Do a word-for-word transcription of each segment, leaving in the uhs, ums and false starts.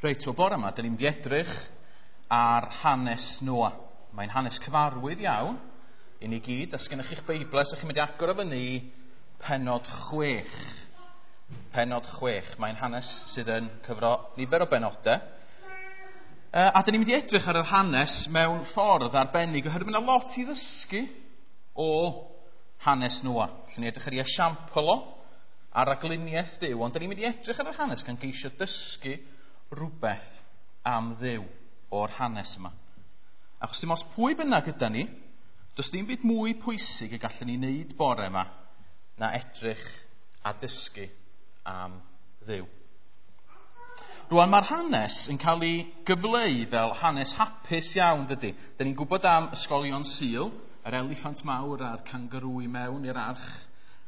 Reit, o bore yma, dyn ni'n mynd i edrych ar hanes Noa. Mae'n hanes cyfarwydd iawn i ni gyd. Os gennych chi'ch Beiblau, ydych chi'n mynd i agor o fyny i pennod chwech. Pennod chwech. Mae'n hanes sydd yn cyfro nifer o benodau. A dyn ni'n mynd i edrych ar yr hanes mewn ffordd arbennig, oherwydd mae yna lot i ddysgu o hanes Noa. Allen ni edrych ar ei esiampl o, ar ragluniaeth Duw, ond dyn ni'n mynd i edrych ar yr hanes gan geisio dysgu rhywbeth am Dduw o'r hanes yma. Achos dim ots pwy bynnag yda ni, does dim byd mwy pwysig y gallwn ni wneud bore yma na edrych a dysgu am Dduw. Rwan, mae'r hanes yn cael ei gyfleu fel hanes hapus iawn, dydy. Dyn ni'n gwybod am ysgolion Sul, yr eliffant mawr a'r cangarŵ i mewn i'r arch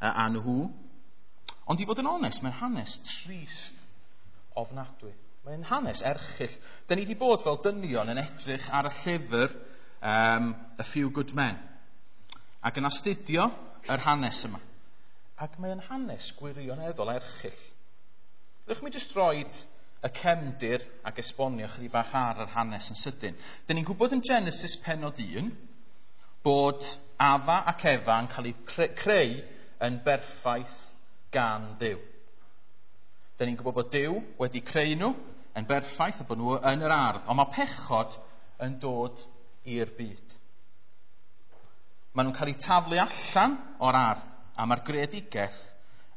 a nhw. Ond i fod yn onest, mae'n hanes trist ofnadwy. Mae'n hanes erchyll. Dyn ni wedi bod fel dynion yn edrych ar y llyfr um, A Few Good Men ac yn astudio yr hanes yma. Ac mae'n hanes gwirioneddol erchyll. Ddewch mi jyst roid y cefndir ac esbonio chydig bach ar yr hanes yn sydyn. Dyn ni'n gwybod yn Genesis pennod un bod Adda ac Efa yn cael eu creu yn berffaith gan Dduw. Dyn ni'n gwybod bod Duw wedi creu nhw yn berffaith a bod nhw yn yr ardd, ond mae pechod yn dod i'r byd. Maen nhw'n cael eu taflu allan o'r ardd a mae'r greadigaeth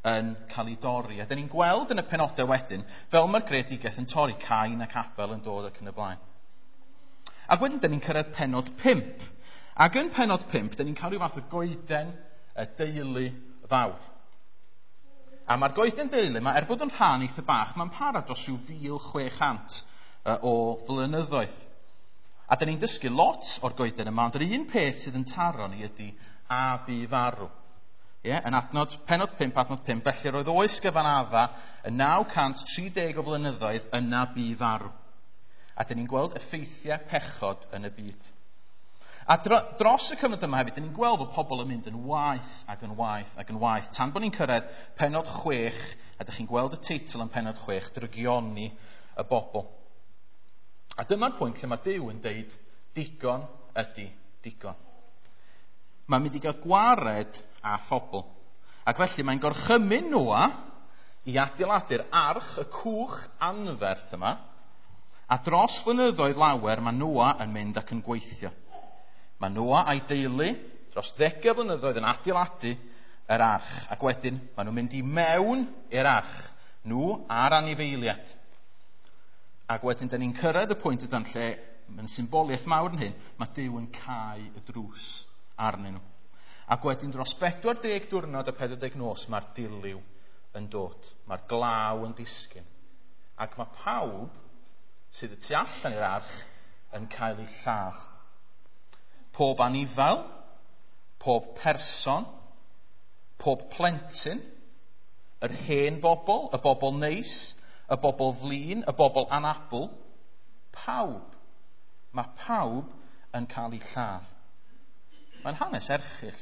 yn cael ei dorri. A dyn ni'n gweld yn y penodau wedyn, fel mae'r greadigaeth yn torri, Cain ac Abel yn dod ac yn y blaen. Ac wedyn dyn ni'n cyrraedd pennod pump. Ac yn pennod pump, dyn ni'n cael rhyw fath o goeden y deulu fawr. A mae'r goeden deulu yma, er bod yn rhan eitha bach, mae'n para dros rhyw fil chwe chant o flynyddoedd. A dyn ni'n dysgu lot o'r goeden yma, ond yr un peth sydd yn taro ni ydy a bu farw. Ie, yn adnod, pennod pump, adnod pump, felly roedd oes gyfan Adda yn naw cant tri deg o flynyddoedd yna bu farw. A dyn ni'n gweld effeithiau pechod yn y byd. A dro, dros y cyfnod yma hefyd, dyn ni'n gweld bod pobl yn mynd yn waeth ac yn waeth ac yn waeth. Tan bod ni'n cyrraedd pennod chwech, a dych chi'n gweld y teitl yn pennod chwech, drygioni y bobl. A dyma'r pwynt lle mae Duw yn deud, digon ydy digon. Mae'n mynd i gael gwared â phobl. Ac felly mae'n gorchymyn Noa i adeiladu'r arch, y cwch anferth yma, a dros flynyddoedd lawer mae Noa yn mynd ac yn gweithio. Mae Noa a'i deulu dros ddegau blynyddoedd yn adeiladu yr arch, ac wedyn maen nhw'n mynd i mewn i'r arch, nhw a'r anifeiliaid. Ac wedyn dyn ni'n cyrraedd y pwynt ydan lle, mae'n symboliaeth mawr yn hyn, mae Duw yn cau y drws arnyn nhw. Ac wedyn dros bedwar deg diwrnod a pedwar deg nos mae'r dilyw yn dod, mae'r glaw yn disgyn. Ac mae pawb sydd y tu allan i'r arch yn cael eu lladd. Pob anifal, pob person, pob plentyn, yr hen bobl, y bobl neis, y bobl flin, y bobl anabl, pawb. Mae pawb yn cael eu lladd. Mae'n hanes erchyll.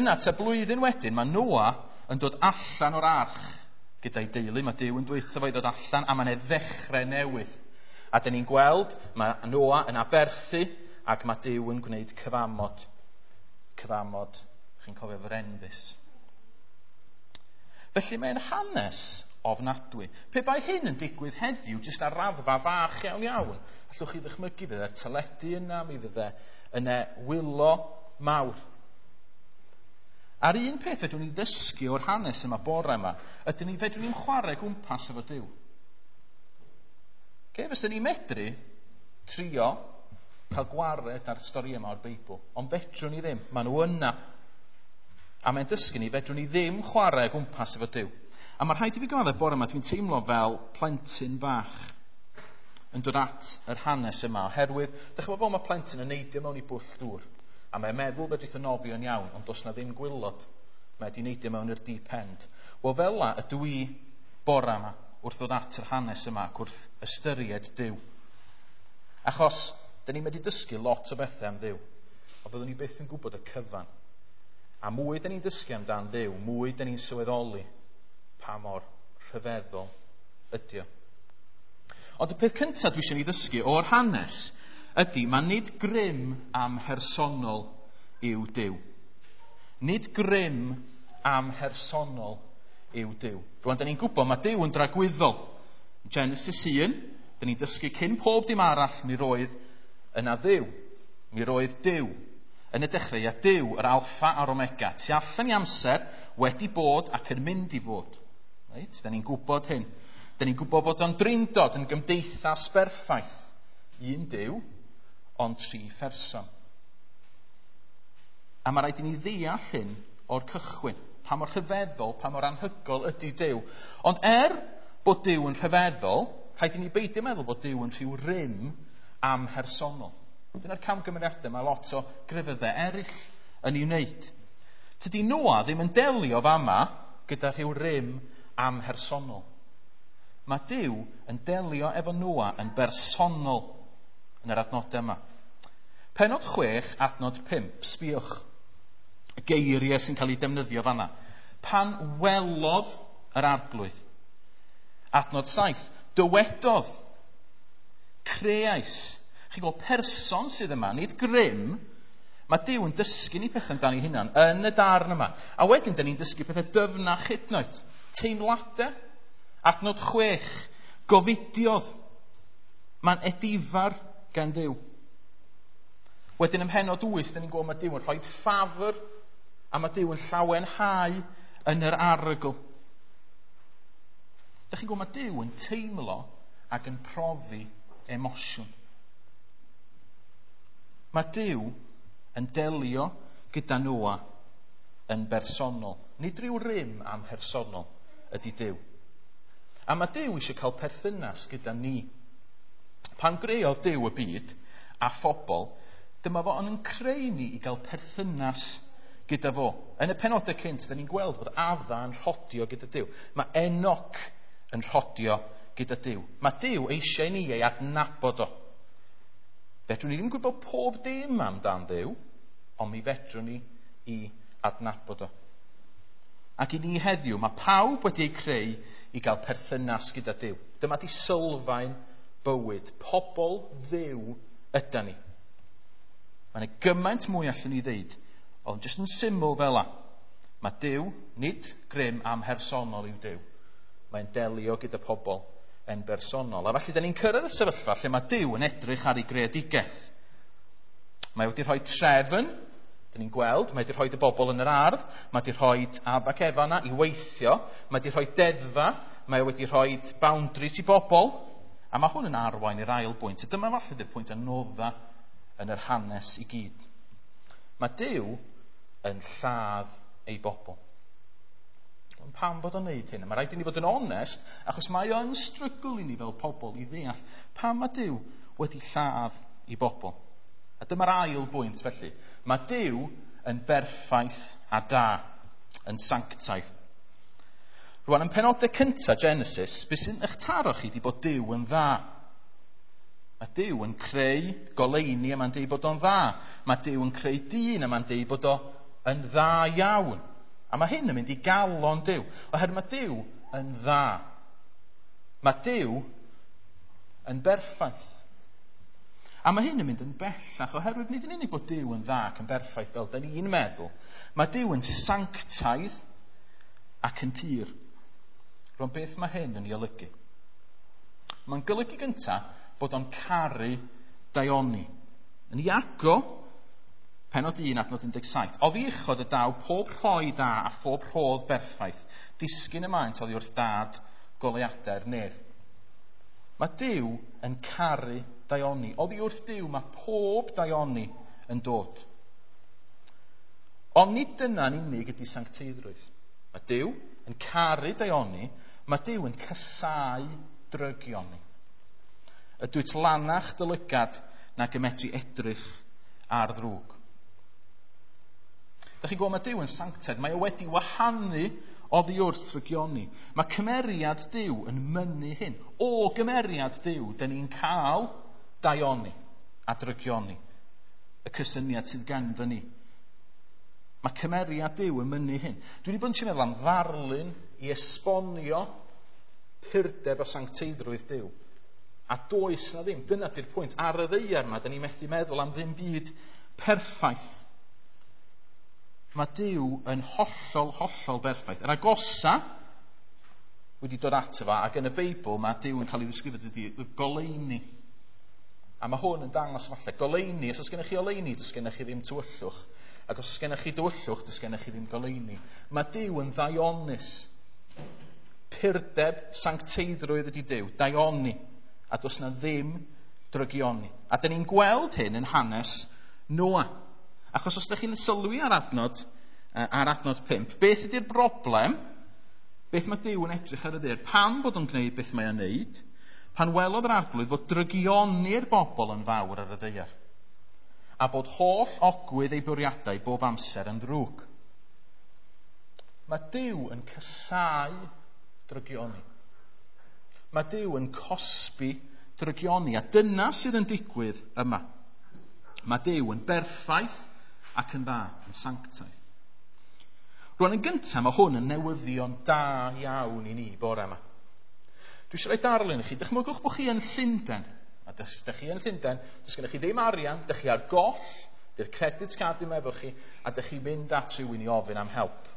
Yna, tua blwyddyn wedyn, mae Noa yn dod allan o'r arch gyda'i deulu. Mae Duw yn dweud wrtho fo i ddod allan, a mae'n ei ddechrau newydd. A dyn ni'n gweld, mae Noa yn aberthu, ac mae Duw yn gwneud cyfamod. Cyfamod, chi'n cofio fo'r enfys. Felly mae'n hanes ofnadwy. Pe bai hyn yn digwydd heddiw, jyst ar raddfa fach iawn iawn, allwch chi ddychmygu fydde'r teledu yna, mi fydde yna wylo mawr. A'r un peth fedrwn ni ddysgu o'r hanes yma bore yma, ydyn ni fedrwn ni'n chwarae gwmpas efo Duw. Okay, fysen ni'n medru trio cael gwared ar stori yma o'r Beibl, ond fedrwn ni ddim, maen nhw yna. A mae'n dysgu ni, fedrwn ni ddim chwarae gwmpas efo Duw. A mae rhaid i fi gyfaddef bore yma, dwi'n teimlo fel plentyn bach yn dod at yr hanes yma, oherwydd, dych chi'n gwybod mae plentyn yn neidio mewn i bwll dŵr, a mae'n meddwl fedrith o nofio yn iawn, ond does na ddim gwylod, mae wedi neidio mewn i'r deep end. Wel, fel la ydw i bore yma wrth ddod at yr hanes yma ac wrth ystyried Duw. Achos, dyn ni'n medru dysgu lot o bethau am Dduw, ond fyddwn ni byth yn gwybod y cyfan. A mwy dyn ni'n dysgu amdan Dduw, mwy dyn ni'n sylweddoli pa mor rhyfeddol ydy o. Ond y peth cyntaf dwi eisiau ni ddysgu o'r hanes ydy, mae nid grym amhersonol yw Duw. Nid grym amhersonol yw Duw. Rwan, da ni'n gwybod mae Duw yn dragwyddol. Genesis un, da ni'n dysgu cyn pob dim arall, mi roedd yna Dduw. Mi roedd Duw. Yn y dechreuad Duw, yr alffa a'r omega. Tu allan i amser, wedi bod ac yn mynd i fod. Reit? Da ni'n gwybod hyn. Da ni'n gwybod bod o'n drindod yn gymdeithas berffaith. Un Duw, ond tri pherson. A mae rhaid i ni ddeall hyn o'r cychwyn. Pa mor rhyfeddol, pa mor anhygol ydy Duw. Ond er bod Duw yn rhyfeddol, rhaid i ni beidio meddwl bod Duw yn rhyw rym amhersonol. Dyna'r camgymeriadau mae lot o grefyddau eraill yn ei wneud. Tydi Noa ddim yn delio fama gyda rhyw rym amhersonol. Mae Duw yn delio efo Noa yn bersonol yn yr adnodau yma. Penod chwech, adnod pump, sbiwch. Y geiriau sy'n cael eu defnyddio fanna. Pan welodd yr arglwydd. Adnod saith, dywedodd, creais. Chi'n gweld person sydd yma, nid grym. Mae Duw yn dysgu ni pethau amdano ei hunan yn y darn yma. A wedyn, dyn ni'n dysgu pethau dyfnach hyd yn oed. Teimladau. Adnod chwech, gofidiodd. Mae'n edifar gan Dduw. Wedyn ym mhennod wyth, dyn ni'n gweld mae Duw yn rhoi ffafr a mae Duw yn llawenhau yn yr arogl. Dych chi'n gweld mae Duw yn teimlo ac yn profi emosiwn. Mae Duw yn delio gyda Noa yn bersonol. Nid rhyw rym amhersonol ydy Duw. A mae Duw eisiau cael perthynas gyda ni. Pan greodd Duw y byd a phobl, dyma fo yn creu ni i gael perthynas gyda fo. Yn y penodau cynt, da ni'n gweld bod Adda yn rhodio gyda Duw. Mae Enoch yn rhodio gyda Duw. Mae Duw eisiau ni ei adnabod o. Fedrwn ni ddim gwybod pob dim amdan Dduw, ond mi fedrwn ni i adnabod o. Ac i ni heddiw, mae pawb wedi eu creu i gael perthynas gyda Duw. Dyma di sylfaen bywyd. Pobl Dduw yda ni. Mae yna gymaint mwy allan ni ddeud, ond jyst yn syml fel la. Mae Duw, nid grym amhersonol yw Duw. Mae'n delio gyda pobl yn bersonol. A felly, da ni'n cyrraedd y sefyllfa lle mae Duw yn edrych ar ei greadigaeth. Mae wedi rhoi trefn, da ni'n gweld, mae wedi rhoi y bobl yn yr ardd, mae wedi rhoi Adda ac Efa yna i weithio, mae wedi rhoi deddfa, mae wedi rhoi boundaries i bobl, a mae hwn yn arwain i'r ail bwynt. A dyma falle di'r pwynt anodda yn yr hanes i gyd. Mae Duw yn lladd ei bobl. Ond pam bod o'n neud hyn? Mae rhaid i ni fod yn onest, achos mae o'n strygl i ni fel pobl i ddeall pam mae Duw wedi lladd ei bobl. A dyma'r ail bwynt felly. Mae Duw yn berffaith a da, yn sanctaidd. Rwan, yn penodau cyntaf Genesis, beth sy'n eich taro chi di bod Duw yn dda. Mae Duw yn creu goleuni a mae'n deud bod o'n dda. Mae Duw yn creu dyn a mae'n deud bod o yn dda iawn. A mae hyn yn mynd i galon Duw, oherwydd mae Duw yn dda. Mae Duw yn berffaith. A mae hyn yn mynd yn bellach, oherwydd nid yn unig bod Duw yn dda ac yn berffaith fel da ni'n meddwl. Mae Duw yn sanctaidd ac yn pur. Rwan, beth mae hyn yn ei olygu? Mae'n golygu gyntaf bod o'n caru daioni. Yn Iago, penod un, adnod un deg saith. Oddi uchod y daw pob rhoi dda a phob rhodd berffaith, disgyn y maent oddi wrth dad goleuadau'r nef. Mae Duw yn caru daioni. Oddi wrth Duw mae pob daioni yn dod. Ond nid dyna'n unig ydy sancteiddrwydd. Mae Duw yn caru daioni, mae Duw yn casáu drygioni. Ydwyt lanach dy lygad nag y medru edrych ar ddrwg. Dach chi'n gweld mae Duw yn sanctaidd, mae o wedi wahanu oddi wrth drygioni. Mae cymeriad Duw yn mynnu hyn. O gymeriad Duw, dyn ni'n cael daioni a drygioni. Y cysyniad sydd ganddo ni. Mae cymeriad Duw yn mynnu hyn. Dwi wedi bod yn trio meddwl am ddarlun i esbonio purdeb a sancteiddrwydd Duw. A does na ddim, dyna di'r pwynt. Ar y ddaear yma, da ni methu meddwl am ddim byd perffaith. Mae Duw yn hollol, hollol berffaith. Yr agosa wedi dod ato fo, ac yn y Beibl mae Duw yn cael ei ddisgrifio dydy, y goleuni. A mae hwn yn dangos falle, goleuni, os oes gennych chi oleuni, does gennych chi ddim tywyllwch. Ac os oes gennych chi dywyllwch, does gennych chi ddim goleuni. Mae Duw yn ddaionus. Purdeb, sancteiddrwydd ydy Duw, daioni. A does na ddim drygioni. A dyn ni'n gweld hyn yn hanes Noa. Achos os ydych chi'n sylwi ar adnod, ar adnod pump, beth ydy'r broblem? Beth mae Duw yn edrych ar y ddaear? Pam bod o'n gwneud beth mae o'n wneud? Pan welodd yr Arglwydd fod drygioni'r bobl yn fawr ar y ddaear, a bod holl ogwydd ei bwriadau bob amser yn ddrwg. Mae Duw yn casáu drygioni. Mae Duw yn cosbi drygioni, a dyna sydd yn digwydd yma. Mae Duw yn berffaith ac yn dda, yn sanctaidd. Rwan yn gyntaf, mae hwn yn newyddion da iawn i ni bore yma. Dwi eisiau rhoi darlun i chi. Dychmygwch bod chi yn Llundain. A dych chi yn Llundain, does gennych chi ddim arian, dych chi ar goll, dy'r credit card ddim efo chi, a dych chi'n mynd at rhywun i ofyn am help.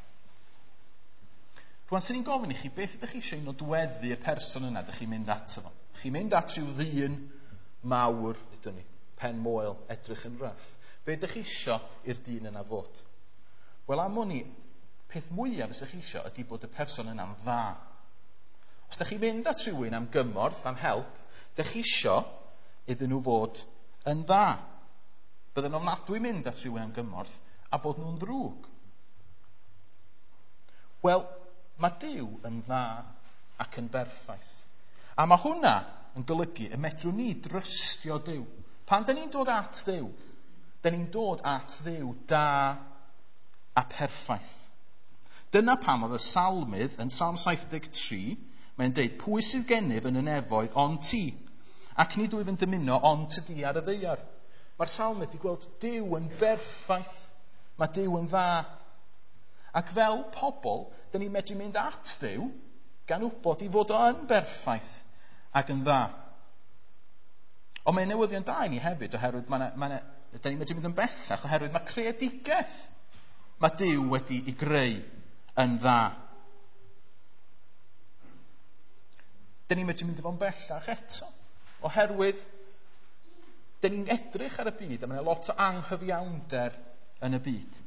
Rwan, sy'n ni'n gofyn i chi, beth ydych chi eisiau nodweddu y person yna dych chi'n mynd ato fo? Chi'n mynd at rhyw ddyn mawr, ydyn ni, pen moel, edrych yn rough. Be ydych chi eisiau i'r dyn yna fod? Wel, am wn i, peth mwyaf ydych chi eisiau ydy bod y person yna'n dda. Os ydych chi'n mynd at rhywun am gymorth, am help, ydych chi eisiau iddyn nhw fod yn dda. Bydden nhw'n ofnadwy mynd at rhywun am gymorth a bod nhw'n ddrwg. Wel, mae Duw yn dda ac yn berffaith. A mae hwnna yn golygu y medrwn ni drystio Duw. Pan dyn ni'n dod at Dduw, dyn ni'n dod at Dduw da a perffaith. Dyna pam oedd y salmydd yn Salm saith deg tri, mae'n deud, pwy sydd gennyf yn y nefoedd ond ti? Ac nid wyf yn dymuno ond ty di ar y ddaear. Mae'r salmydd wedi gweld Duw yn berffaith. Mae Duw yn dda. Ac fel pobl, dyn ni'n medru mynd at Dduw gan wybod i fod o yn berffaith ac yn dda. Ond mae'n newyddion da i ni hefyd, oherwydd mae ma ma dyn ni'n medru mynd yn bellach, oherwydd mae creadigaeth mae Duw wedi ei greu yn dda. Dyn ni'n medru mynd efo'n bellach eto, oherwydd dyn ni'n edrych ar y byd a mae yna lot o anghyfiawnder yn y byd.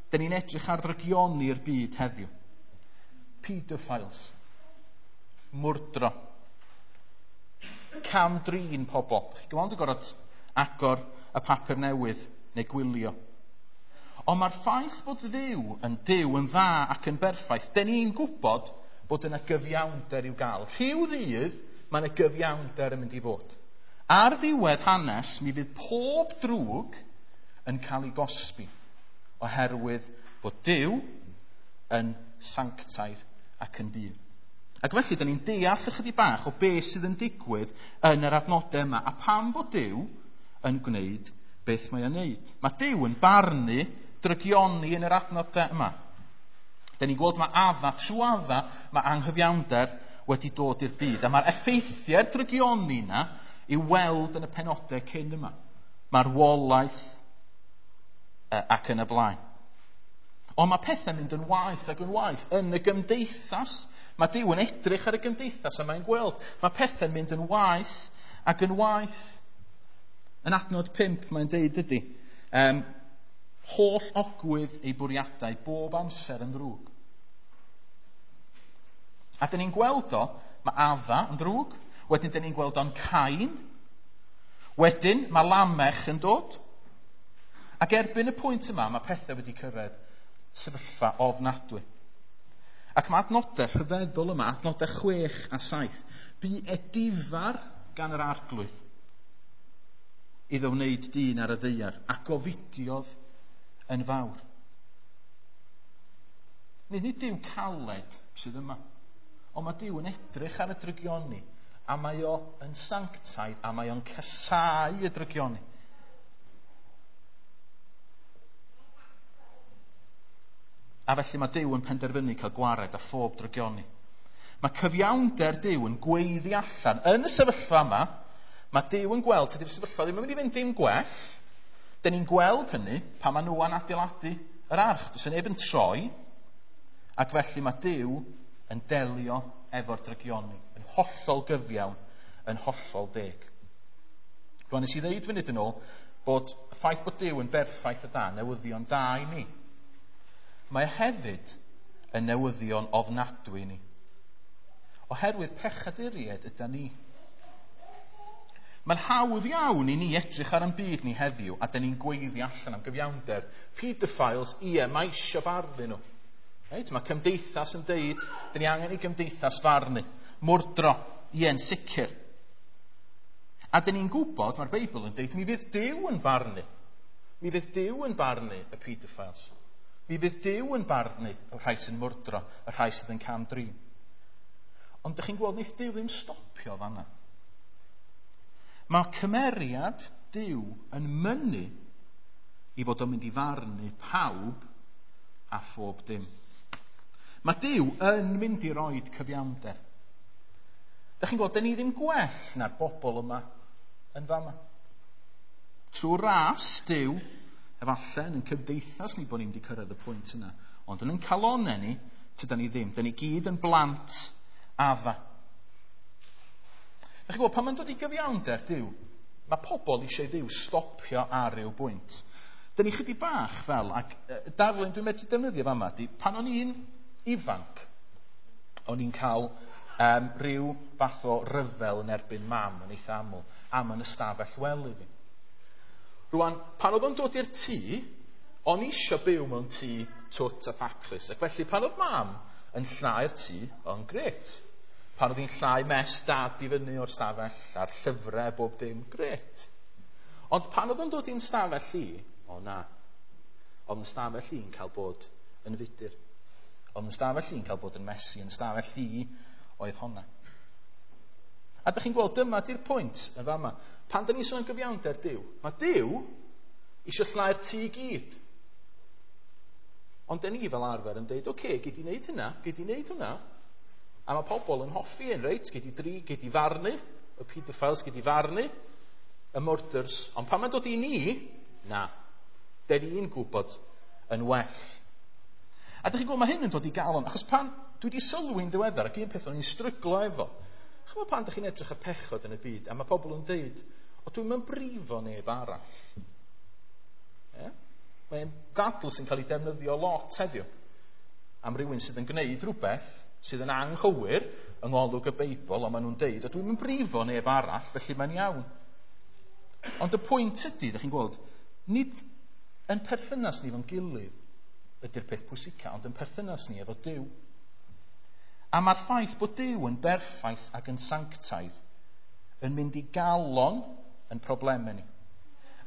Dyn ni'n edrych ar ddrygioni'r byd heddiw. Pedophiles, mwrdro, cam-drin pobl. Chi gweld yn gorfod agor y papur newydd neu gwylio. Ond mae'r ffaith bod Dduw yn Duw yn dda ac yn berffaith, dyn ni'n gwybod bod yna gyfiawnder i'w gael. Rhyw ddydd mae yna gyfiawnder yn mynd i fod. Ar ddiwedd hanes, mi fydd pob drwg yn cael ei gosbi, oherwydd bod Duw yn sanctaidd ac yn bur. Ac felly, dyn ni'n deall ychydig bach o beth sydd yn digwydd yn yr adnodau yma, a pam bod Duw yn gwneud beth mae o'n wneud. Mae Duw yn barnu drygioni yn yr adnodau yma. Dyn ni'n gweld mae Adda, trwy Adda, mae anghyfiawnder wedi dod i'r byd. A mae'r effeithiau'r drygioni yna i'w weld yn y penodau cyn yma. Marwolaeth ac yn y blaen. Ond mae pethau'n mynd yn waeth ac yn waeth yn y gymdeithas. Mae Duw yn edrych ar y gymdeithas a mae'n gweld. Mae pethau'n mynd yn waeth ac yn waeth. Yn adnod pump mae'n deud ydy, um, holl ogwydd ei bwriadau bob amser yn ddrwg. A dyn ni'n gweld o, mae Adda yn ddrwg, wedyn dyn ni'n gweld o'n Cain, wedyn mae Lamech yn dod. Ac erbyn y pwynt yma, mae pethau wedi cyrraedd sefyllfa ofnadwy. Ac mae adnodau rhyfeddol yma, adnodau chwech a saith, bu edifar gan yr Arglwydd iddo wneud dyn ar y ddaear, a gofidiodd yn fawr. Nid nid Duw caled sydd yma, ond mae Duw yn edrych ar y drygioni, a mae o yn sanctaidd, a mae o'n casáu y drygioni. A felly mae Duw yn penderfynu cael gwared a phob drygioni. Mae cyfiawnder Duw yn gweiddi allan. Yn y sefyllfa yma, mae Duw yn gweld, tydi'r sefyllfa ddim yn mynd i fynd dim gwell. Dyn ni'n gweld hynny pan mae Noa'n adeiladu yr arch. Does neb yn troi, ac felly mae Duw yn delio efo'r drygioni, yn hollol gyfiawn, yn hollol deg. Rwan nes i ddeud funud yn ôl bod y ffaith bod Duw yn berffaith a da, newyddion da i ni. Mae hefyd yn newyddion ofnadwy i ni. Oherwydd pechaduriaid yda ni. Mae'n hawdd iawn i ni edrych ar ein byd ni heddiw a dyn ni'n gweiddi allan am gyfiawnder. Pedophiles, ie, mae eisiau barnu nhw. Reit, mae cymdeithas yn deud, dyn ni angen i gymdeithas farnu. Mwrdro, ie, yn sicr. A dyn ni'n gwybod, mae'r Beibl yn deud, mi fydd Duw yn barnu. Mi fydd Duw yn barnu y pedophiles. Mi fydd Duw yn barnu y rhai sy'n mwrdro, y rhai sydd yn cam-drin. Ond dych chi'n gweld, wneith Duw ddim stopio fanna. Mae cymeriad Duw yn mynnu i fod o'n mynd i farnu pawb a phob dim. Mae Duw yn mynd i roid cyfiawnder. Dych chi'n gweld, dyn ni ddim gwell na'r bobl yma yn fama. Trwy ras Duw, efallai yn cymdeithas ni bod ni'n wedi cyrraedd y pwynt yna, ond yn ein calonau ni, tydan ni ddim. Dyn ni gyd yn blant Adda. Dych chi'n gweld, pan mae'n dod i gyfiawnder Duw, mae pobl eisiau Dduw stopio ar ryw bwynt. Dyn ni chydig bach fel, ac darlun dwi'n medru defnyddio fama, di, pan o'n i'n ifanc, o'n i'n cael um, rhyw fath o ryfel yn erbyn mam yn eitha aml, am yn ystafell wely fi. Rwan, pan oedd o'n dod i'r tŷ, o'n i eisiau byw mewn tŷ twt a thaclus, ac felly pan oedd mam yn llnau'r tŷ, o'n grêt. Pan oedd hi'n llnau mess dad i fyny o'r stafell, a'r llyfrau, bob dim, grêt. Ond pan oedd o'n dod i'n stafell i, o na, oedd yn stafell i'n cael bod yn fudur. Oedd yn stafell i'n cael bod yn messy, yn stafell i oedd honna. A dych chi'n gweld, dyma di'r pwynt yn fama. Pan dyn ni'n sôn am gyfiawnder Duw, mae Duw eisiau llnau'r tŷ i gyd. Ond dyn ni fel arfer yn deud, oce, okay, gei di wneud hynna, gei di wneud hwnna. A mae pobl yn hoffi hyn, reit? Gei di dri, gei di farnu, y pedophiles, gei di farnu, y murders. Ond pan mae'n dod i ni, na, dyn ni'n gwybod yn well. A dych chi'n gweld, mae hyn yn dod i galon, achos pan dwi wedi sylwi'n ddiweddar, ac un peth o'n i'n stryglo efo, chymod pan dych chi'n edrych ar pechod yn y byd, a mae pobl yn deud, o dwi'n mynd brifo neb arall. Yeah? Mae'n ddadl sy'n cael ei defnyddio lot heddiw am rywun sydd yn gwneud rhywbeth sydd yn anghywir yng ngolwg y Beibl, ond maen nhw'n deud, o dwi'n mynd brifo neb arall, felly mae'n iawn. Ond y pwynt ydy, ydych chi'n gweld, nid yn perthynas ni efo'n gilydd ydy'r peth pwysica, ond yn perthynas ni efo Duw. A mae'r ffaith bod Duw yn berffaith ac yn sanctaidd yn mynd i galon yn problemau ni.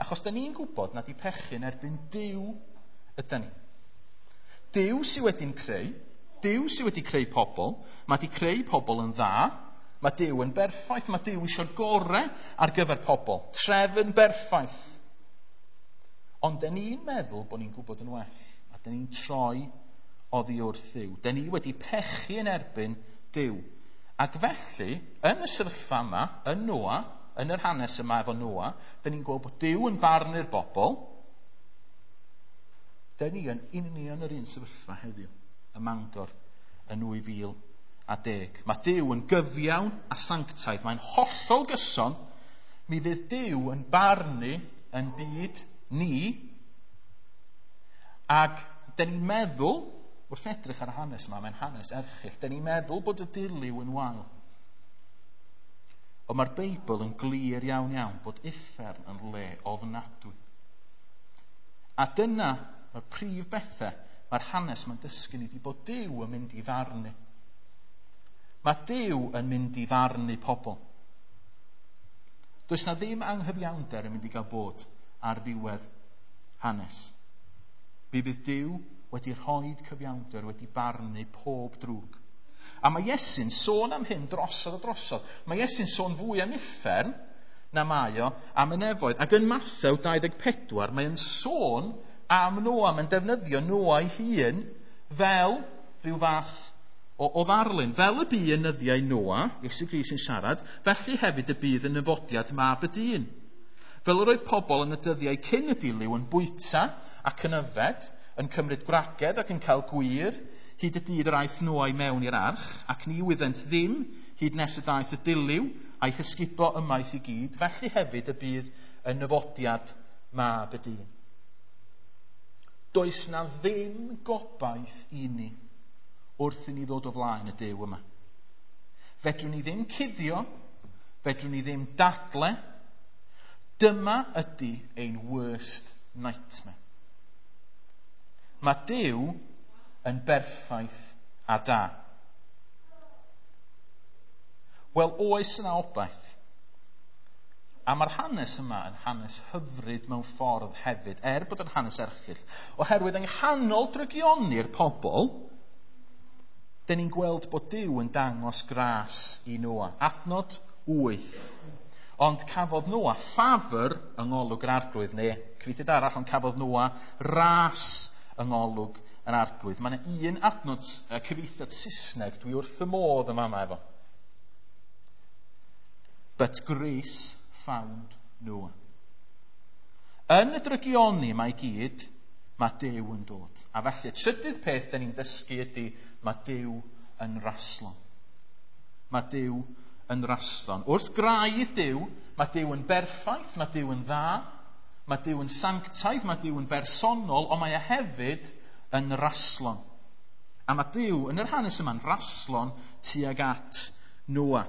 Achos da ni'n gwybod nad i pechu yn erbyn Duw ydy ni. Duw sydd wedi'n creu, Duw sydd wedi creu pobl, mae wedi creu pobl yn dda, mae Duw yn berffaith, mae Duw eisiau'r gorau ar gyfer pobl, trefn berffaith. Ond da ni'n meddwl bod ni'n gwybod yn well, a da ni'n troi oddi wrth Dduw. Da ni wedi pechu yn erbyn Duw. Ac felly, yn y sefyllfa yma, yn Noa, yn yr hanes yma efo Noa, da ni'n gweld bod Duw yn barnu'r bobl. Da ni yn union yr un sefyllfa heddiw, ym Mangor, yn nwy fil a deg. Mae Duw yn gyfiawn a sanctaidd. Mae'n hollol gyson. Mi fydd Duw yn barnu yn byd ni. Ac da ni'n meddwl, wrth edrych ar y hanes yma, mae'n hanes erchyll, da ni'n meddwl bod y dilyw yn wael. Ond mae'r Beibl yn glir iawn iawn bod uffern yn le ofnadwy. A dyna mae'r prif bethau mae'r hanes mae'n dysgu ni di bod Duw yn mynd i farnu. Mae Duw yn mynd i farnu pobl. Does na ddim anghyfiawnder yn mynd i gael bod ar ddiwedd hanes. Mi fydd Duw wedi rhoi cyfiawnder, wedi barnu pob drwg. A mae Iesu'n sôn am hyn drosodd a drosodd. Mae Iesu'n sôn fwy am uffern na mae o am y nefoedd. Ac yn Mathew dau ddeg pedwar, mae'n sôn am Noa, mae'n defnyddio Noa ei hun fel rhyw fath o, o ddarlun. Fel y bu yn nyddiau Noa, Iesu Grist yn siarad, felly hefyd y bydd yn nyfodiad mab y dyn. Fel yr oedd pobl yn y dyddiau cyn y dilyw yn bwyta ac yn yfed, yn cymryd gwragedd ac yn cael gwir, hyd y dydd yr aeth Noa i mewn i'r arch, ac ni wyddent ddim hyd nes y daeth y dilyw a'i hysgubo ymaith i gyd, felly hefyd y bydd yn nyfodiad mab y dyn. Does na ddim gobaith i ni wrth i ni ddod o flaen y Duw yma. Fedrwn ni ddim cuddio, fedrwn ni ddim dadle. Dyma ydy ein worst nightmare. Mae Duw yn berffaith a da. Wel, oes yna obaith. A mae'r hanes yma yn hanes hyfryd mewn ffordd hefyd, er bod yn hanes erchyll. Oherwydd yng nghanol drygioni'r pobl, dyn ni'n gweld bod Duw yn dangos gras i Noa. Adnod wyth. Ond cafodd Noa ffafr yng ngolwg yr Arglwydd, neu cyfieithiad arall, ond cafodd Noa ras yng ngolwg yr Arglwydd. Mae yna un adnod cyfieithiad Saesneg dwi wrth y modd yma yma efo. But grace found Noah. Yn y drygioni mae gyd, mae Duw yn dod. A felly, y trydydd peth da ni'n dysgu ydy, mae Duw yn raslon. Mae Duw yn raslon. Wrth graidd Duw, mae Duw yn berffaith, mae Duw yn dda, mae Duw yn sanctaidd, mae Duw yn bersonol, ond mae e hefyd yn raslon. A mae Duw yn yr hanes yma'n raslon tuag at Noa.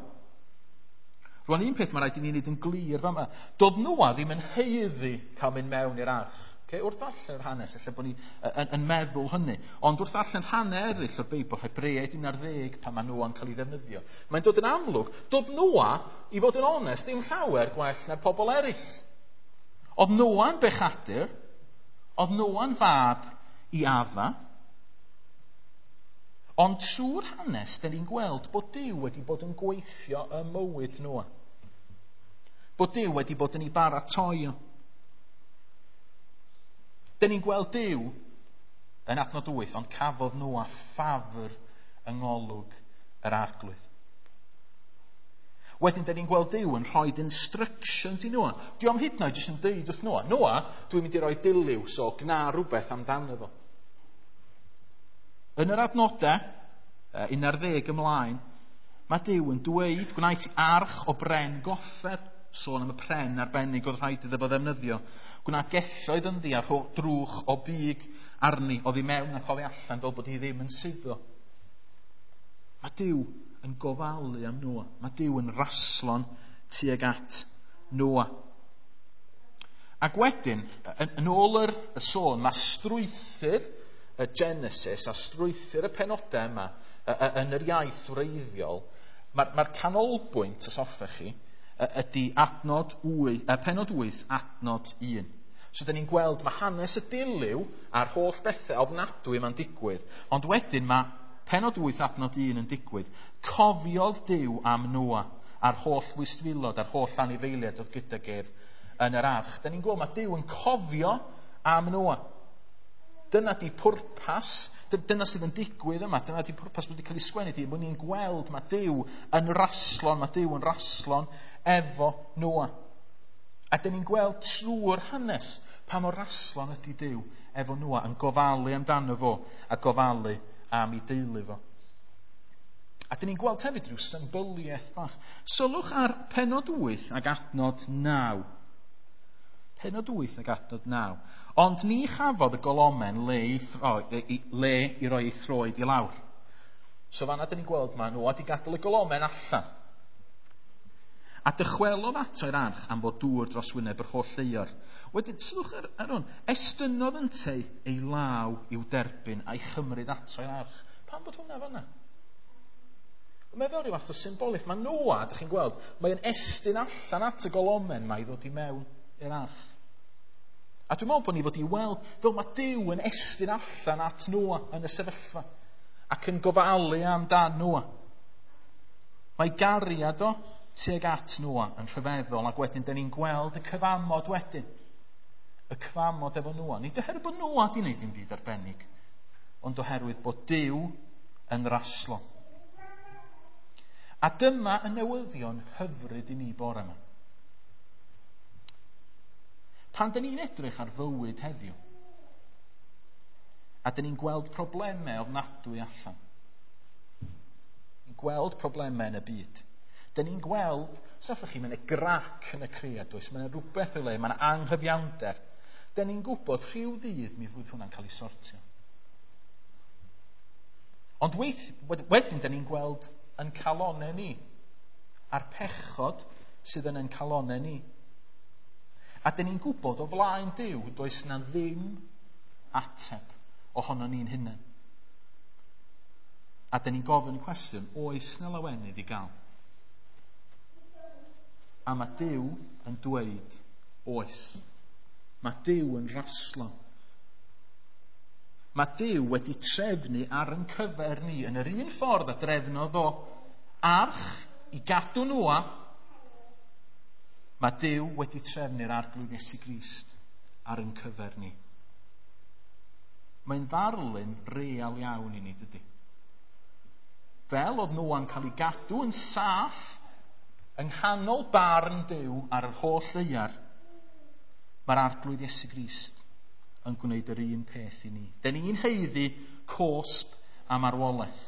Rwan, un peth mae rhaid i ni wneud yn glir fama. Doedd Noa ddim yn haeddu cael mynd mewn i'r arch. Okay? Wrth allan yr hanes, ella bod ni yn, yn meddwl hynny. Ond wrth allan rhannau eraill o'r Beibl, Hebreaid un ar ddeg, pan mae Noa'n cael ei ddefnyddio. Mae'n dod yn amlwg, doedd Noa, i fod yn onest, ddim llawer gwell na'r pobl eraill. Oedd Noa'n bechadur, oedd Noa'n fab i Adda. Ond trwy'r hanes, da ni'n gweld bod Duw wedi bod yn gweithio ym mywyd Noa. Bod Duw wedi bod yn ei baratoi o. Da ni'n gweld Duw yn adnod wyth, ond cafodd Noa ffafr yng ngolwg yr Arglwydd. Wedyn, da ni'n gweld Duw yn rhoi instructions i Noa. Dio'm hyd yn oed jyst yn deud wrth Noa, Noa, dwi'n mynd i roi dilyw, so gna rhywbeth amdano fo. Yn yr adnodau, un ar ddeg ymlaen, mae Duw yn dweud, gwnaed ti arch o bren goffer, sôn am y pren arbennig oedd rhaid iddo fo ddefnyddio. Gwna gelloedd ynddi a drwch o big arni, oddi mewn ac oddi allan, fel bod hi ddim yn suddo. Mae Duw yn gofalu am Noa. Mae Duw yn raslon tuag at Noa. Ac wedyn, yn, yn ôl yr, y sôn, mae strwythur y Genesis a strwythur y penodau yma yn yr iaith wreiddiol, mae'r mae canolbwynt, os hoffech chi, ydy adnod wyth, penod wyth, adnod un. So, da ni'n gweld mae hanes y dilyw a'r holl bethau ofnadwy yma'n digwydd, ond wedyn mae penod wyth, adnod un yn digwydd. Cofiodd Duw am Noa a'r holl fwystfilod a'r holl anifeiliaid oedd gydag ef yn yr arch. Da ni'n gweld mae Duw yn cofio am Noa. Dyna di pwrpas, dyna sydd yn digwydd yma, dyna di pwrpas bod wedi cael ei sgwennu di, bod ni'n gweld mae Duw yn raslon, mae Duw yn raslon efo Noa. A dyn ni'n gweld trwy'r hanes pa mor raslon ydy Duw efo Noa, yn gofalu amdano fo a gofalu am ei deulu fo. A dyn ni'n gweld hefyd rhyw symbyliaeth bach. Sylwch ar penod wyth ac adnod naw. Penod wyth ac adnod naw. Ond ni chafodd y golomen le i, throi, le i roi ei throed i lawr. So fanna dyn ni'n gweld mae Noa wedi gadael y golomen allan. A dychwelodd ato i'r arch am fod dŵr dros wyneb yr holl ddaear. Wedyn, sylwch ar, ar hwn, estynnodd ynteu ei law i'w derbyn a'i chymryd ato i'r arch. Pam bod hwnna fanna? Mae fel rhyw fath o symbolaeth. Mae Noa, dych chi'n gweld, mae'n estyn allan at y golomen mae i ddod i mewn i'r arch. A dwi'n meddwl bod ni fod i weld fel mae Duw yn estyn allan at Noa yn y sefyllfa ac yn gofalu amdan Noa. Mae gariad o tuag at Noa yn rhyfeddol, ac wedyn dyn ni'n gweld y cyfamod wedyn. Y cyfamod efo Noa. Nid oherwydd bod Noa di wneud dim byd arbennig, ond oherwydd bod Duw yn raslon. A dyma y newyddion hyfryd i ni bore yma. Pan dyn ni'n edrych ar fywyd heddiw, a dyn ni'n gweld problemau ofnadwy allan, ni'n gweld problemau yn y byd, dyn ni'n gweld, os hoffech chi, mae yna grac yn y cread, does, mae yna rhywbeth o'i le, mae yna anghyfiawnder. Dyn ni'n gwybod rhyw ddydd mi fydd hwnna'n cael ei sortio. Ond weith, wedyn dyn ni'n gweld yn calonau ni, a'r pechod sydd yn ein calonau ni. A dyn ni'n gwybod o flaen Duw does na ddim ateb ohono ni'n hunain. A dyn ni'n gofyn y cwestiwn, oes na lawenydd i gael? A mae Duw yn dweud, oes. Mae Duw yn raslon. Mae Duw wedi trefnu ar ein cyfer ni yn yr un ffordd a drefnodd o arch i gadw Noa. Mae Duw wedi trefnu'r Arglwydd Iesu Grist ar ein cyfer ni. Mae'n ddarlun real iawn i ni, dydy? Fel oedd Noa'n cael ei gadw yn saff yng nghanol barn Duw ar yr holl ddaear, mae'r Arglwydd Iesu Grist yn gwneud yr un peth i ni. Dyn ni'n haeddu cosb a marwolaeth.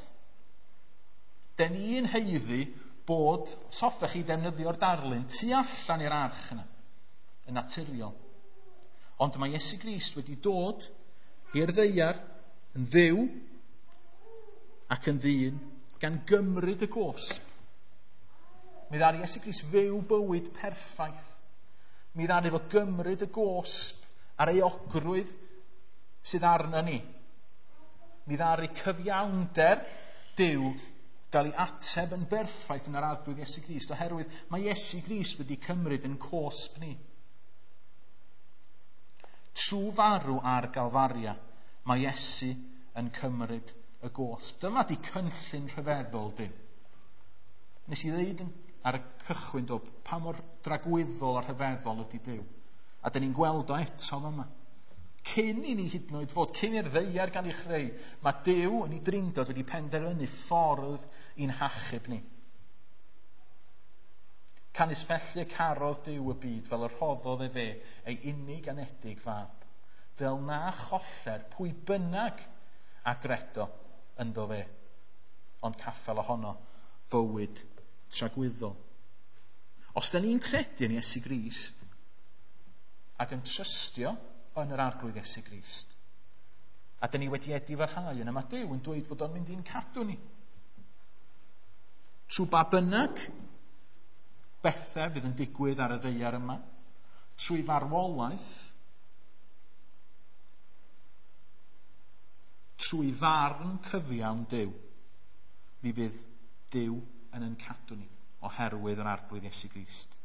Dyn ni'n haeddu bod, os hoffech chi ddefnyddio'r darlun, tu allan i'r arch yna, yn naturiol. Ond mae Iesu Grist wedi dod i'r ddaear yn dduw ac yn ddyn gan gymryd y gosb. Mi ddaru Iesu Grist fyw bywyd perffaith. Mi ddaru fo gymryd y gosb a'r euogrwydd sydd arno ni. Mi ddaru cyfiawnder Duw gael ei ateb yn berffaith yn yr Arglwydd Iesu Grist, oherwydd mae Iesu Grist wedi cymryd yn cosb ni. Trwy farw ar Galfaria, mae Iesu yn cymryd y gosb. Dyma di cynllun rhyfeddol Duw. Nes i ddeud ar y cychwyn do, pa mor dragwyddol a rhyfeddol ydy Duw. A dyn ni'n gweld o eto yma. Cyn i ni hyd yn oed fod, cyn i'r ddaear gael ei chreu, mae Duw yn ei drindod wedi penderfynu ffordd i'n hachub ni. Canys felly y carodd Duw y byd fel y rhoddodd efe ei unig anedig fab, fel na choller pwy bynnag a gredo ynddo fe, ond caffel ohono fywyd tragwyddol. Os da ni'n credu yn Iesu Grist ac yn trystio yn yr Arglwydd Iesu Grist, a da ni wedi edifarhau yna, mae Duw yn dweud bod o'n mynd i'n cadw ni. Trwy ba bynnag bethau fydd yn digwydd ar y ddaear yma, trwy farwolaeth, trwy farn cyfiawn Duw, mi fydd Duw yn ein cadw ni oherwydd yr Arglwydd Iesu Grist.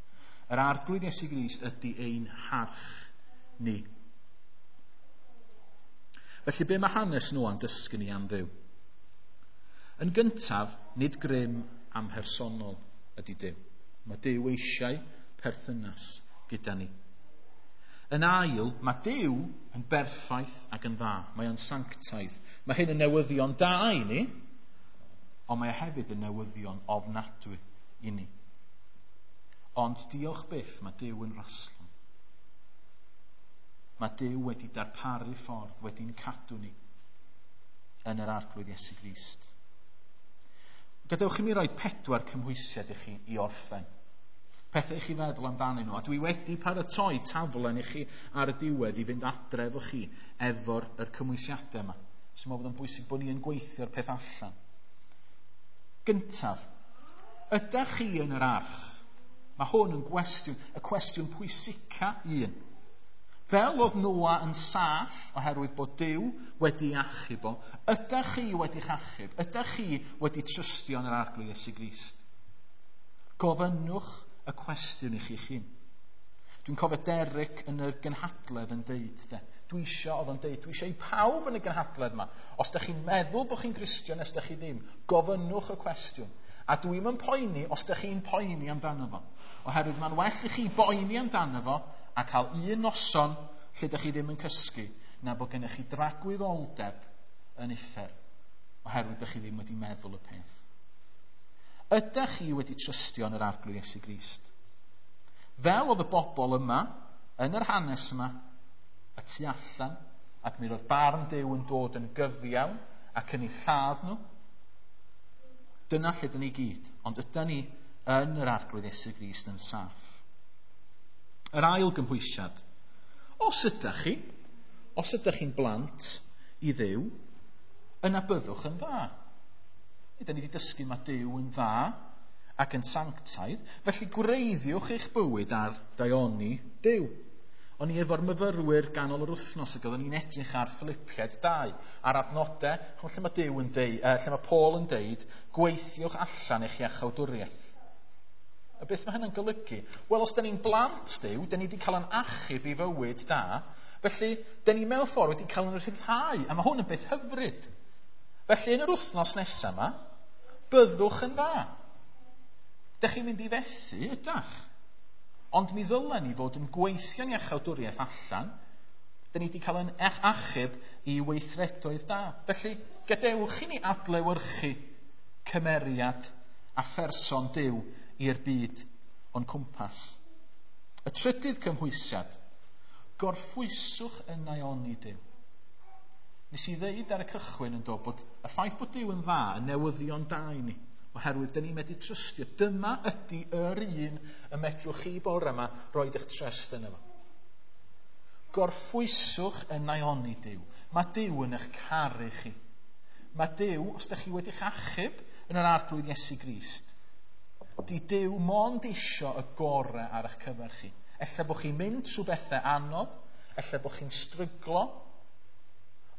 Yr Arglwydd Iesu Grist ydy ein harch ni. Felly be mae hanes Noa'n dysgu ni am Dduw? Yn gyntaf, nid grym amhersonol ydy Duw. Mae Duw eisiau perthynas gyda ni. Yn ail, mae Duw yn berffaith ac yn dda. Mae o'n sanctaidd. Mae hyn yn newyddion da i ni, ond mae e hefyd yn newyddion ofnadwy i ni. Ond diolch byth, mae Duw yn raslon. Mae Duw wedi darparu ffordd, wedi'n cadw ni yn yr Arglwydd Iesu Grist. Gadewch i mi roi pedwar cymhwysiad i chi i orffen. Pethau i chi feddwl amdanyn nhw. A dwi wedi paratoi taflen i chi ar y diwedd i fynd adre efo chi efo'r yr cymhwysiadau yma. So mae'n bod yn bwysig bod ni yn gweithio'r peth allan. Gyntaf, ydych chi yn yr arch? Mae hwn yn gwestiwn, y cwestiwn pwysica un. Fel oedd Noa yn saff oherwydd bod Duw wedi achub o, ydych chi wedi'ch achub? Ydych chi wedi trystio yn yr Arglwydd Iesu Grist? Gofynnwch y cwestiwn i chi'ch hun. Dwi'n cofio Derek yn y gynhadledd yn deud, de. Dwi isio, oedd o'n deud, dwi isio i pawb yn y gynhadledd yma. Os ydych chi'n meddwl bod chi'n Gristion, os ydych chi ddim, gofynnwch y cwestiwn. A dwi'm yn poeni os ydych chi'n poeni amdano fo. Oherwydd mae'n well i chi boeni amdano fo a cael un noson lle ydych chi ddim yn cysgu, na bod gennych chi dragwyddoldeb yn uffern, oherwydd ydych chi ddim wedi meddwl y peth. Ydych chi wedi trystio yn yr Arglwydd Iesu Grist? Fel oedd y bobl yma, yn yr hanes yma, y tu allan, ac mi roedd barn Duw yn dod yn gyfiawn ac yn eu lladd nhw. Dyna lle dyn ni gyd, ond ydy ni yn yr Arglwydd Iesu Grist yn saff. Yr ail gymhwysiad. Os ydych chi, os ydych chi'n blant i Dduw, yna byddwch yn dda. Ydyn ni wedi dysgu mae Duw yn dda ac yn sanctaidd, felly gwreiddiwch eich bywyd ar daioni Duw. O'n i efo'r myfyrwyr ganol yr wythnos ac oedden ni'n edrych ar Philippiaid dau, ar adnodau, lle mae Duw yn deud, uh, lle mae Paul yn deud, gweithiwch allan eich iachawdwriaeth. A beth mae hynny'n golygu? Wel, os da ni'n blant Duw, da ni wedi cael yn achub i fywyd da, felly da ni mewn ffordd wedi cael yn rhyddhau, a mae hwn yn beth hyfryd. Felly yn yr wythnos nesaf yma, byddwch yn dda. Dych chi'n mynd i fethu, ydach? Ond mi ddylen ni fod yn gweithio'n iachawdwriaeth allan. Da ni wedi cael yn achub i weithredoedd da. Felly, gadewch i ni adlewyrchu cymeriad a pherson Duw i'r byd o'n cwmpas. Y trydydd cymhwysiad, gorffwyswch yn naioni Duw. Nes i ddeud ar y cychwyn yn dod bod y ffaith bod Duw yn dda yn newyddion da i ni, oherwydd dyn ni'n medru trystio. Dyma ydy yr un y medrwch chi bore yma roed eich trust yno fo. Gorffwyswch yn naioni Duw. Mae Duw yn eich caru chi. Mae Duw, os ydych chi wedi'ch achub yn yr Arglwydd Iesu Grist, di Duw mond isio y gorau ar eich cyfer chi. Ella bod chi'n mynd trwy bethau anodd, ella bod chi'n stryglo,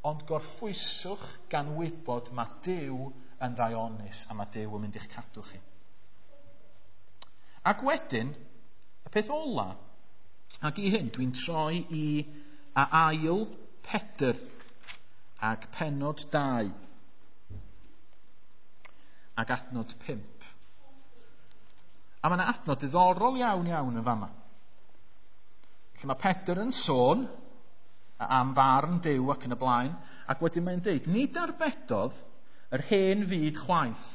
ond gorffwyswch gan wybod mae Duw yn ddaionus a mae Duw yn mynd i'ch cadw chi. Ac wedyn, y peth ola, ac i hyn dwi'n troi i a ail Pedr ac pennod dau ac adnod pump. A mae yna adnod diddorol iawn iawn yn fama. Lle mae Pedr yn sôn am farn Duw ac yn y blaen, ac wedyn mae'n deud, nid arbedodd yr hen fyd chwaith,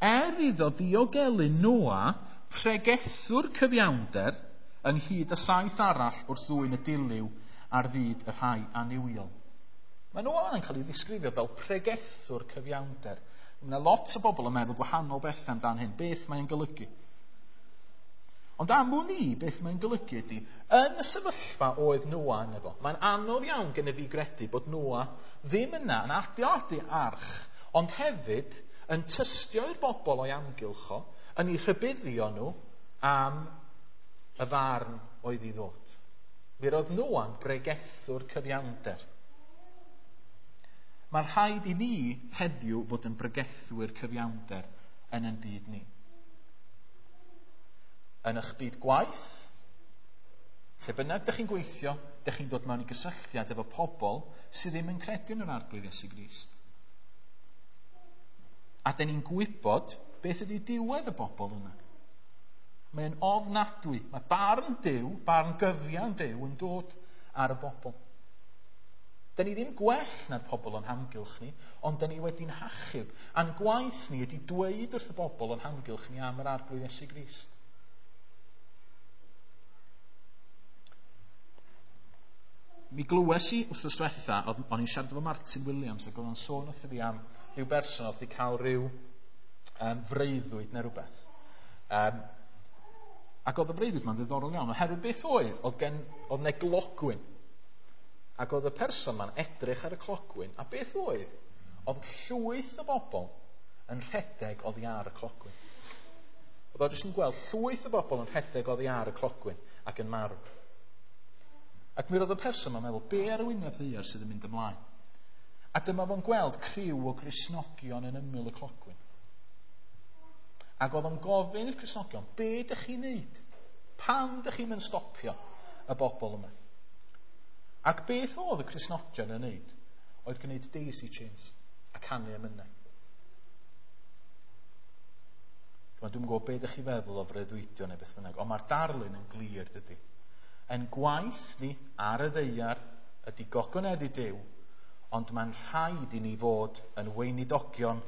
er iddo ddiogelu Noa, pregethwr cyfiawnder, ynghyd â saith arall wrth ddwyn y dilyw ar fyd y rhai annuwiol. Mae Noa yn cael ei ddisgrifio fel pregethwr cyfiawnder. Mae yna lot o bobl yn meddwl gwahanol bethau amdan hyn. Beth mae'n golygu? Ond am wn i, beth mae'n golygu ydy, yn y sefyllfa oedd Noa yn efo, mae'n anodd iawn gen i fi gredu bod Noa ddim yna yn adeiladu arch, ond hefyd yn tystio i'r bobl o'i amgylch o, yn eu rhybuddio nhw am y farn oedd i ddod. Mi roedd Noa'n bregethwr cyfiawnder. Mae'n rhaid i ni heddiw fod yn bregethwyr cyfiawnder yn ein byd ni. Yn eich byd gwaith, lle bynnag dych chi'n gweithio, dych chi'n dod mewn i gysylltiad efo pobl sydd ddim yn credu yn yr Arglwydd Iesu Grist. A dyn ni'n gwybod beth ydy diwedd y bobl yna. Mae'n ofnadwy. Mae barn Duw, barn gyfiawn Duw yn dod ar y bobl. Dyn ni ddim gwell na'r pobl o'n hamgylch ni, ond dyn ni wedi'n hachub. A'n gwaith ni ydy dweud wrth y bobl o'n hamgylch ni am yr Arglwydd Iesu Grist. Mi glywes i wythnos diwetha, o'n i'n siarad efo Martin Williams ac oedd o'n sôn wrtho fi am rhyw berson oedd wedi cael rhyw um, freuddwyd neu rhywbeth. Um, ac oedd y freuddwyd ma'n ddiddorol iawn, oherwydd beth oedd, oedd gen, oedd 'na glogwyn. Ac oedd y person ma'n edrych ar y clogwyn, a beth oedd? Oedd llwyth o bobl yn rhedeg oddi ar y clogwyn. Oedd o jyst yn gweld llwyth o bobl yn rhedeg oddi ar y clogwyn ac yn marw. Ac mi roedd y person ma'n meddwl, be ar y wyneb ddaear sydd yn mynd ymlaen? A dyma fo'n gweld criw o Gristnogion yn ymyl y clogwyn. Ac oedd o'n gofyn i'r Cristnogion, be dych chi'n neud? Pam dych chi'n mynd stopio y bobl yma? Ac beth oedd y Cristnogion yn neud? Oedd gwneud daisy chains a canu emynau. Dwi'n dwi'm yn gwybod be ydych chi feddwl o freuddwydio neu beth bynnag, ond mae'r darlun yn glir, dydy. Yn gwaith ni ar y ddaear ydy gogoneddu Duw, ond mae'n rhaid i ni fod yn weinidogion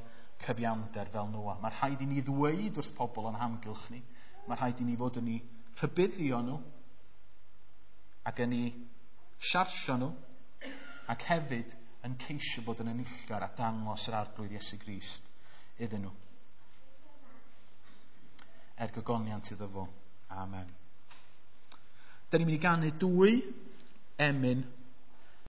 cyfiawnder fel Noa. Mae rhaid i ni ddweud wrth pobl o'n hamgylch ni. Mae rhaid i ni fod yn eu rhybuddio nhw ac yn eu siarsio nhw ac hefyd yn ceisio bod yn enillgar a dangos yr Arglwydd Iesu Grist iddyn nhw. Er gogoniant iddo fo. Amen. Da ni'n mynd i ganu dwy emyn.